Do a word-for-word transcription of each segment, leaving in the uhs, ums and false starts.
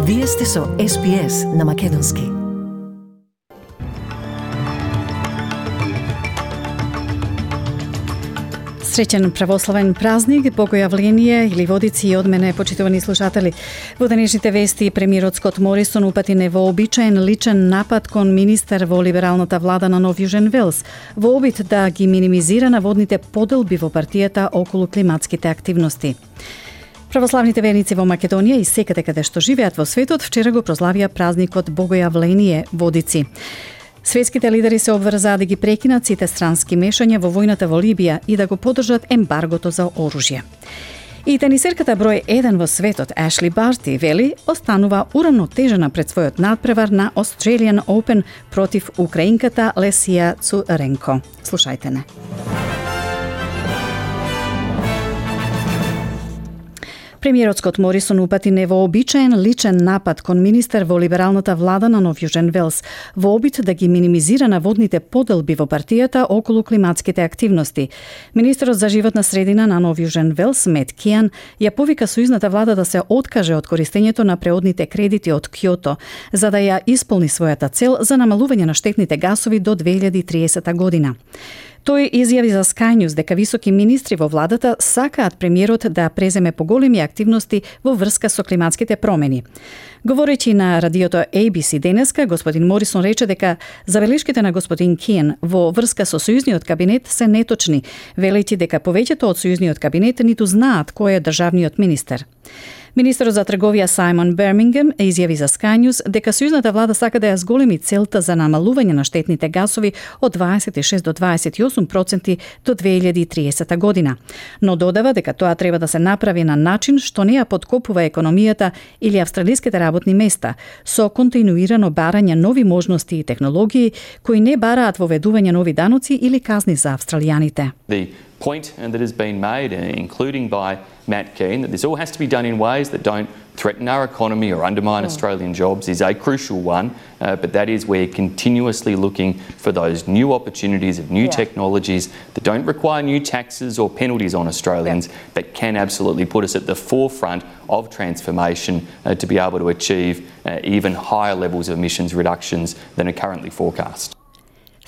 Вие сте со Ес Би Ес на Македонски. Среќен православен празник, богојавление или водици од мене, почитувани слушатели. Во денешните вести, премиерот Скот Морисон упати невообичаен личен напад кон министер во либералната влада на Нов Јужен Велс, во обид да ги минимизира наводните поделби во партијата околу климатските активности. Православните верници во Македонија и секаде каде што живеат во светот вчера го прославија празникот Богојавление водици. Светските лидери се обврзаа да ги прекинат сите странски мешања во војната во Либија и да го поддржат ембаргото за оружје. И тенисерката број еден во светот Ашли Барти вели останува урамнотежена пред својот надпревар на Australian Open против украинката Лесија Цуренко. Слушајте не. Премиерот Скот Морисон упати невообичаен личен напад кон министер во либералната влада на Нов Јужен Велс во обид да ги минимизира наводните поделби во партијата околу климатските активности. Министерот за животна средина на Нов Јужен Велс, Мет Кијан, ја повика сојузната влада да се откаже од користењето на преодните кредити од Кјото, за да ја исполни својата цел за намалување на штетните гасови до две илјади и триесета година. Тој изјави за Sky News дека високи министри во владата сакаат премиерот да преземе поголеми активности во врска со климатските промени. Говорејќи на радиото Ей Би Си денеска, господин Морисон рече дека забелешките на господин Киен во врска со сојузниот кабинет се неточни, велејќи дека повеќето од сојузниот кабинет ниту знаат кој е државниот министер. Министерот за трговија Сајмон Бермингем изјави за Sky News дека сојузната влада сака да ја зголеми целта за намалување на штетните гасови од дваесет и шест до дваесет и осум проценти до две илјади и триесета година, но додава дека тоа треба да се направи на начин што не ја подкопува економијата или австралиските работни места, со континуирано барање нови можности и технологии кои не бараат воведување нови даноци или казни за австралијаните. The point that has been made, including by Matt Kean, that this all has to be done in ways that don't threaten our economy or undermine oh. Australian jobs is a crucial one, uh, but that is we're continuously looking for those new opportunities of new yeah. technologies that don't require new taxes or penalties on Australians, yeah. but can absolutely put us at the forefront of transformation uh, to be able to achieve uh, even higher levels of emissions reductions than are currently forecast.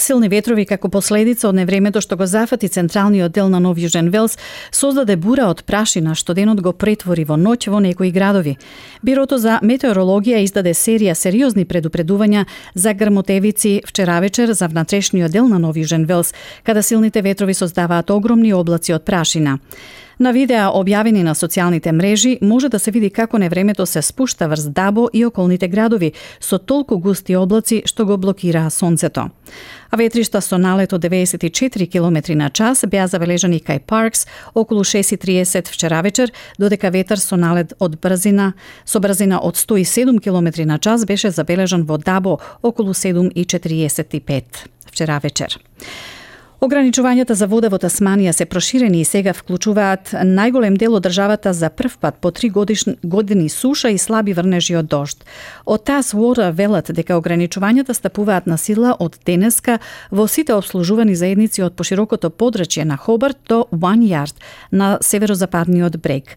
Силни ветрови како последица од невремето што го зафати централниот дел на Нов Јужен Велс создаде бура од прашина што денот го претвори во ноќ во некои градови. Бирото за метеорологија издаде серија сериозни предупредувања за грмотевици вчера вечер за внатрешниот дел на Нов Јужен Велс, каде силните ветрови создаваат огромни облаци од прашина. На видеа објавени на социјалните мрежи може да се види како невремето се спушта врз Дабо и околните градови со толку густи облаци што го блокираа сонцето. А ветришта со налет од деветдесет и четири километри на час беа забележани кај Паркс околу шест и триесет вчера вечер, додека ветар со налет од брзина со брзина од сто и седум километри на час беше забележан во Дабо околу седум и четириесет и пет вчера вечер. Ограничувањата за вода во Тасманија се проширени и сега вклучуваат најголем дел од државата за прв пат по три годишни, години суша и слаби врнежи од дожд. Од Тас Water велат дека ограничувањата стапуваат на сила од денеска во сите обслужувани заедници од поширокото подрачје на Хобарт до Вањард на северозападниот брег.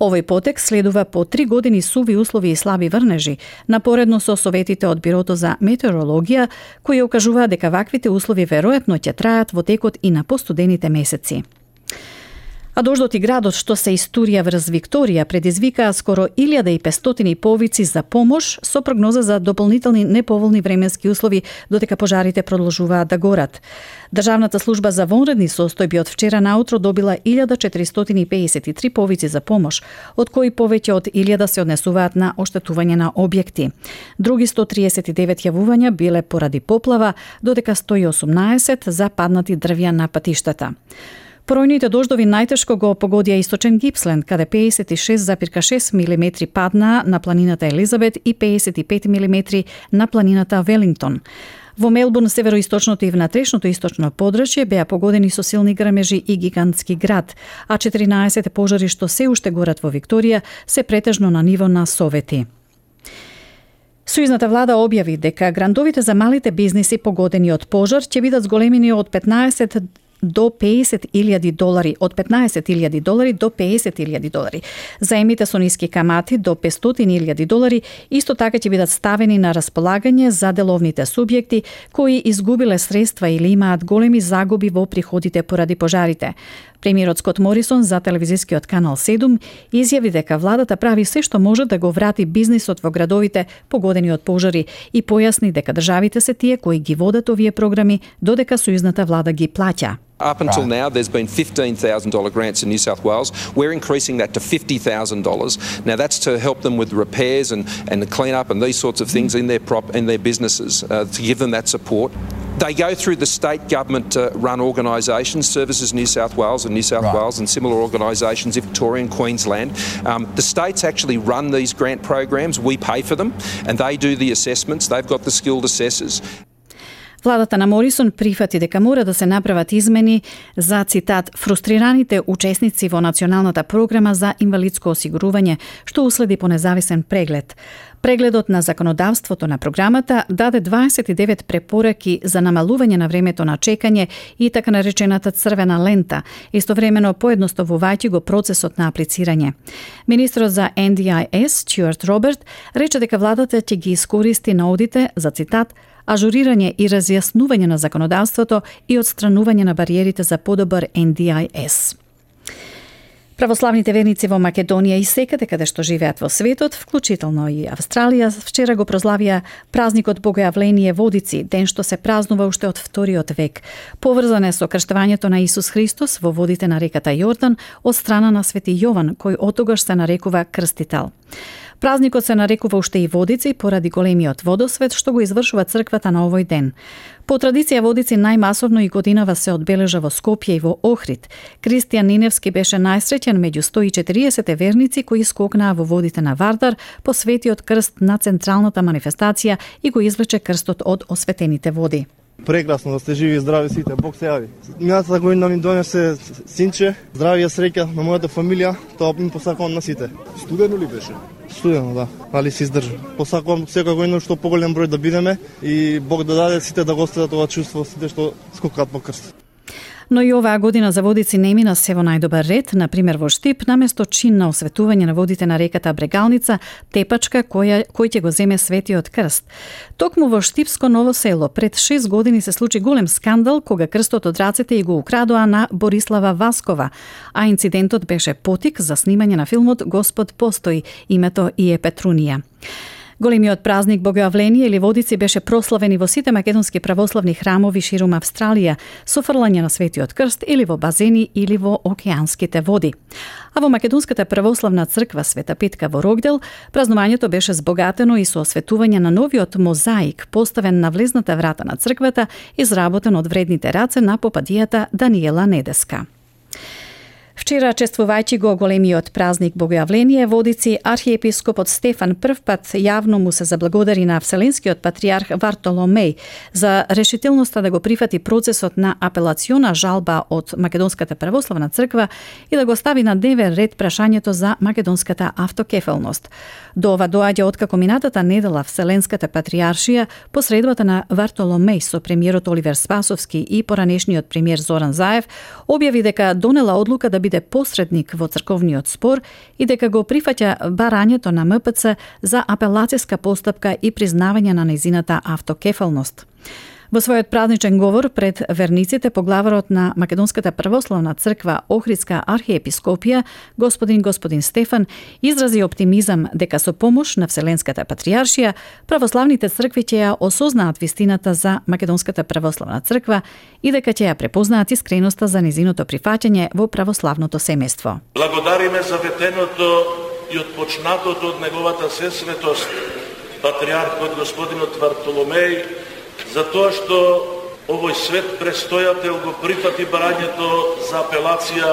Овој потек следува по три години суви услови и слаби врнежи, напоредно со советите од Бирото за метеорологија, кои окажуваат дека ваквите услови веројатно ќе траат во текот и на постудените месеци. А дождот и градот што се истурија врз Викторија предизвикаа скоро илјада и петстотини повици за помош со прогноза за дополнителни неповолни временски услови додека пожарите продолжуваат да горат. Државната служба за вонредни состојби од вчера наутро добила илјада четиристотини и педесет и три повици за помош, од кои повеќе од илјада се однесуваат на оштетување на објекти. Други сто триесет и девет јавувања биле поради поплава, додека сто и осумнаесет за паднати дрвја на патиштата. Поројните дождови најтешко го погодија источен Гипсленд, каде педесет и шест зарез шест милиметри паднаа на планината Елизабет и педесет и пет милиметри на планината Велингтон. Во Мелбурн, североисточното и внатрешното источно подрачје беа погодени со силни грмежи и гигантски град, а четиринаесет пожари што се уште горат во Викторија се претежно на ниво на совети. Сојузната влада објави дека грантовите за малите бизниси погодени од пожар ќе бидат зголемени од петнаесет до песет илјади долари, од петнаесет илјади долари до песет илјади долари. Заемите со ниски камати до петстотини илјади долари исто така ќе бидат ставени на располагање за деловните субјекти кои изгубиле средства или имаат големи загуби во приходите поради пожарите. Премиерот Скот Морисон за телевизискиот канал седум изјави дека владата прави се што може да го врати бизнисот во градовите погодени од пожари и појасни дека државите се тие кои ги водат овие програми додека сојузната влада ги плаќа. Up until now, there's been fifteen thousand dollars grants in New South Wales. We're increasing that to fifty thousand dollars. Now, that's to help them with repairs and, and the clean up and these sorts of things in their prop in their businesses, uh, to give them that support. They go through the state government-run uh, organisations, Services New South Wales and New South right. Wales and similar organisations in Victoria and Queensland. Um, the states actually run these grant programs. We pay for them and they do the assessments. They've got the skilled assessors. Владата на Морисон прифати дека мора да се направат измени за, цитат, фрустрираните учесници во Националната програма за инвалидско осигурување, што уследи по независен преглед. Прегледот на законодавството на програмата даде дваесет и девет препораки за намалување на времето на чекање и така наречената црвена лента, истовремено поедноставувајќи го процесот на аплицирање. Министрот за Ен Ди Ај Ес, Стюарт Роберт, рече дека владата ќе ги искористи наудите за, цитат, ажурирање и разјаснување на законодавството и отстранување на бариерите за подобар Ен Ди Ај Ес. Православните верници во Македонија и секаде каде што живеат во светот, вклучително и Австралија, вчера го прославија празникот Богојавление Водици, ден што се празнува уште од вториот век. Поврзан е со крштувањето на Исус Христос во водите на реката Јордан од страна на Свети Јован, кој отогаш се нарекува Крстител. Празникот се нарекува уште и Водици поради големиот водосвет што го извршува црквата на овој ден. По традиција Водици најмасовно и годинава се одбележа во Скопје и во Охрид. Кристијан Ниневски беше најсреќен меѓу сто и четириесет верници кои скокнаа во водите на Вардар по светиот крст на централната манифестација и го извлече крстот од осветените води. Прекрасно да сте живи и здрави сите, Бог се јави. Минатата година ми донесе синче, здравје, среќа на мојата фамилија, тоа ми посакувам на сите. Студено ли беше? Студено, да, али се издржа. Посакувам секоја година што поголем број да бидеме и Бог да даде сите да го остадат ова чувство, сите што скокаат по крст. Но и оваа година за Водици не мина се во најдобар ред, например во Штип, наместо чин на осветување на водите на реката Брегалница, тепачка која, кој ќе го земе Светиот крст. Токму во Штипско Ново село пред шест години се случи голем скандал кога крстот од рацете и го украдоа на Борислава Васкова, а инцидентот беше потик за снимање на филмот Господ постои, името и е Петрунија. Големиот празник Богојавление или Водици беше прославен и во сите македонски православни храмови ширум Австралија со фрлање на Светиот крст или во базени или во океанските води. А во Македонската православна црква Света Петка во Рогдел празнувањето беше збогатено и со осветување на новиот мозаик поставен на влезната врата на црквата, изработен од вредните раце на попадијата Даниела Недеска. Вчера, чествувајќи го големиот празник Богојавление Водици, архиепископот Стефан прв пат јавно му се заблагодари на Вселенскиот патриарх Вартоломеј за решителноста да го прифати процесот на апелациона жалба од Македонската православна црква и да го стави на дневен ред прашањето за македонската автокефелност. До ова доаѓа откако минатата недела Вселенската патриаршија посредбата на Вартоломеј со премиерот Оливер Спасовски и поранешниот премиер Зоран Заев објави дека донела одлука да биде посредник во црковниот спор и дека го прифаќа барањето на М П Ц за апелацијска постапка и признавање на нејзината автокефалност. Во својот празничен говор пред верниците поглаварот на Македонската православна црква Охридска архиепископија, господин господин Стефан, изрази оптимизам дека со помош на Вселенската патриаршија, православните цркви ќе ја осознаат вистината за Македонската православна црква и дека ќе ја препознаат искреноста за незиното прифаќање во православното семејство. Благодариме за ветеното и отпочнатото од неговата сесветост, патриархот господинот Вартоломеј, за тоа што овој свет престојател го прифати барањето за апелација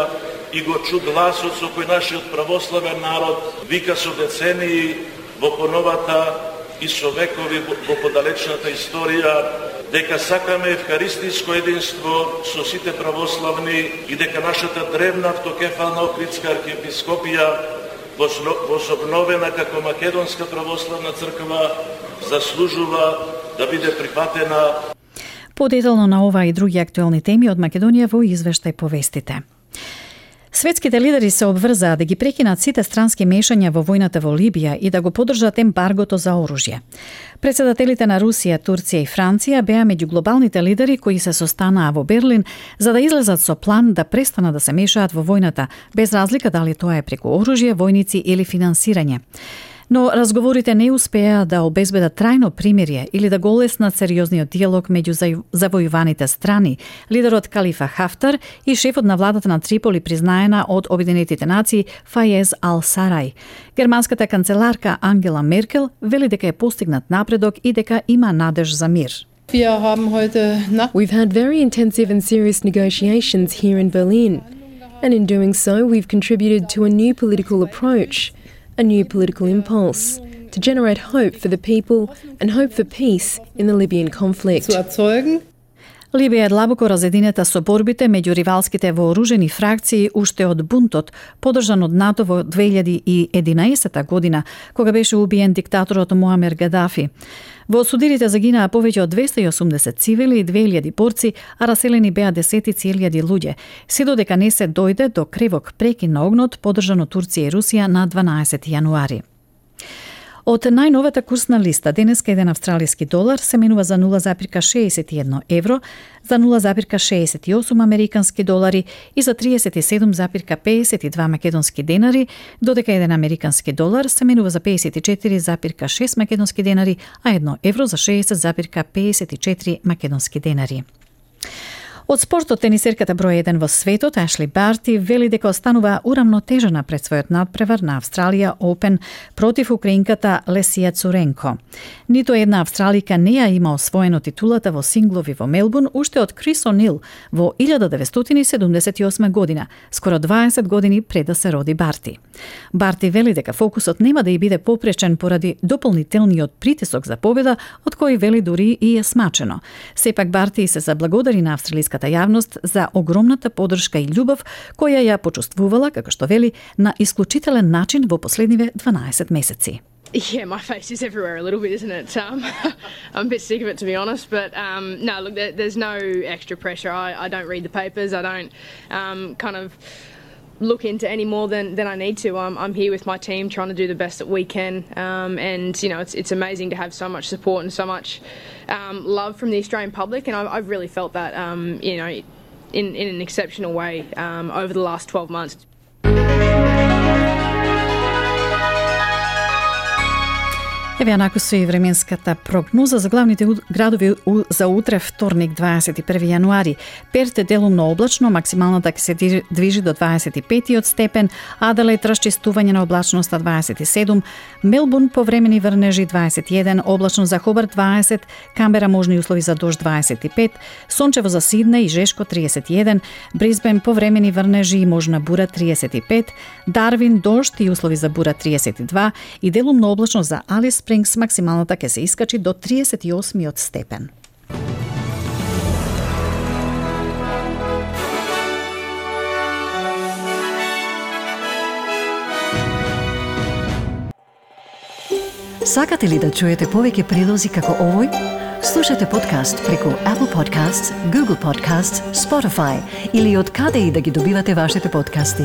и го чу гласот со кој нашиот православен народ вика со децении во поновата и со векови во подалечната историја дека сакаме евхаристиско единство со сите православни и дека нашата древна автокефална Охридска архиепископија возобновена како Македонска православна црква заслужува да биде прифатена. Подетално на ова и други актуелни теми од Македонија во извештај повестите. Светските лидери се обврзаа да ги прекинат сите странски мешања во војната во Либија и да го поддржат ембаргото за оружје. Председателите на Русија, Турција и Франција беа меѓу глобалните лидери кои се состанаа во Берлин за да излезат со план да престанат да се мешаат во војната, без разлика дали тоа е преку оружје, војници или финансирање. Но разговорите не успеа да обезбедат трајно примирие или да го олеснат сериозниот диалог меѓу завојуваните страни. Лидерот Калифа Хафтар и шефот на владата на Триполи признаена од Обединетите нации Фаез Ал-Сарај. Германската канцеларка Ангела Меркел вели дека е постигнат напредок и дека има надеж за мир. We've had very intensive and serious negotiations here in Berlin, and in doing so we've contributed to a new political approach, a new political impulse, to generate hope for the people and hope for peace in the Libyan conflict. Либија е длабоко разединета со борбите меѓу ривалските вооружени фракции уште од бунтот, подржан од НАТО во две илјади и единаесета година, кога беше убиен диктаторот Муамер Гадафи. Во судирите загинаа повеќе од двесте и осумдесет цивили и две илјади борци, а раселени беа десетици илјади луѓе, се додека не се дојде до кревок прекин на огнот, подржан од Турција и Русија на дванаесети јануари. Од најновата курсна листа, денеска еден австралиски долар се менува за нула запирка шеесет и едно евро, за нула запирка шеесет и осум американски долари и за триесет и седум запирка пеесет и два македонски денари, додека еден американски долар се менува за пеесет и четири запирка шест македонски денари, а едно евро за шеесет запирка пеесет и четири македонски денари. Од спортот, тенисерката број еден во светот, Ашли Барти, вели дека останува урамнотежена пред својот надпревар на Австралија Опен против украинката Лесија Цуренко. Ниту една австралика не ја има освоено титулата во синглови во Мелбурн уште од Крис О'Нил во илјада деветстотини седумдесет и осма година, скоро дваесет години пред да се роди Барти. Барти вели дека фокусот нема да ја биде попречен поради дополнителниот притисок за победа, од кој вели дури и е смачено. Сепак Барти се заблагодари на австралиската јавност за огромната поддршка и љубов која ја почувствувала, како што вели, на исклучителен начин во последниве дванаесет месеци. Yeah, my face is everywhere a little bit, isn't it? Um, I'm a bit sick of it, to be honest. But um, no, look, there, there's no extra pressure. I, I don't read the papers. I don't um, kind of look into any more than, than I need to. I'm, I'm here with my team trying to do the best that we can. Um, and, you know, it's, it's amazing to have so much support and so much um, love from the Australian public. And I've, I've really felt that, um, you know, in, in an exceptional way um, over the last twelve months. Еве анаку со и временската прогноза за главните градови за утре, вторник, дваесет и први јануари. Перт е делумно облачно, максималната ќе се движи до дваесет и пет степен, Аделаид расчистување на облачноста дваесет и седум, Мелбурн повремени врнежи дваесет и еден, облачно за Хобарт дваесет, Камбера можни услови за дожд дваесет и пет, сончево за Сиднеј и Жешко триесет и еден, Брисбен повремени врнежи и можна бура триесет и пет, Дарвин дожд и услови за бура триесет и два и делумно облачно за Алис Спрингс, максималната ќе се искачи до триесет и осми степен. Сакате ли да чуете повеќе прилози како овој? Слушате подкаст преку Apple Podcasts, Google Podcasts, Spotify или од каде и да ги добивате вашите подкасти.